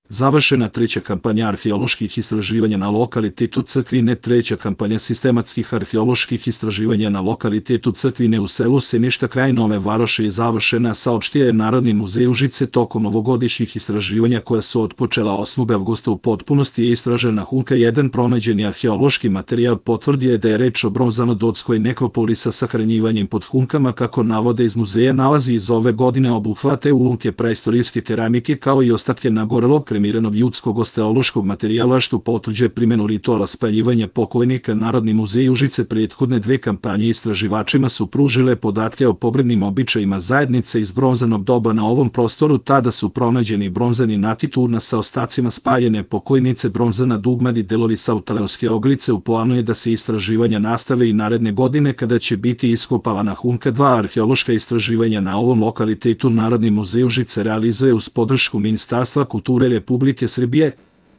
Završena treća kampanja arheoloških istraživanja na lokalitetu Crkvine. Treća kampanja sistematskih arheoloških istraživanja na lokalitetu Crkvine u selu Seništa kraj Nove Varoši je završena, saopštio je Narodni muzej Užice. Tokom ovogodišnjih istraživanja koja su otpočela 8. avgusta u potpunosti je istražena Hunka 1. Pronađeni arheološki materijal potvrdio je da je reč o bronzano-dotskoj nekropoli sa sahranjivanjem pod hunkama, kako navode iz muzeja. Nalazi iz ove godine obuhvate ulomke praistorijske keramike kao i ostatke nagorelog kremiranog ljudskog osteološkog materijala, što potvrđuje primjenu rituala spaljivanja pokojnika. Narodni muzej Užice prethodne dve kampanje istraživačima su pružile podatke o pogrebnim običajima zajednice iz bronzanog doba na ovom prostoru. Tada su pronađeni bronzani nakit urna sa ostacima spaljene pokojnice, bronzana dugmad i delovi sautaleoske oglice. U planu je da se istraživanja nastave i naredne godine, kada će biti iskopavana Hunka 2. Arheološka istraživanja na ovom lokalitetu Narodni muzej Užice realizuje uz podršku Ministarstva kulture Republike Srbije.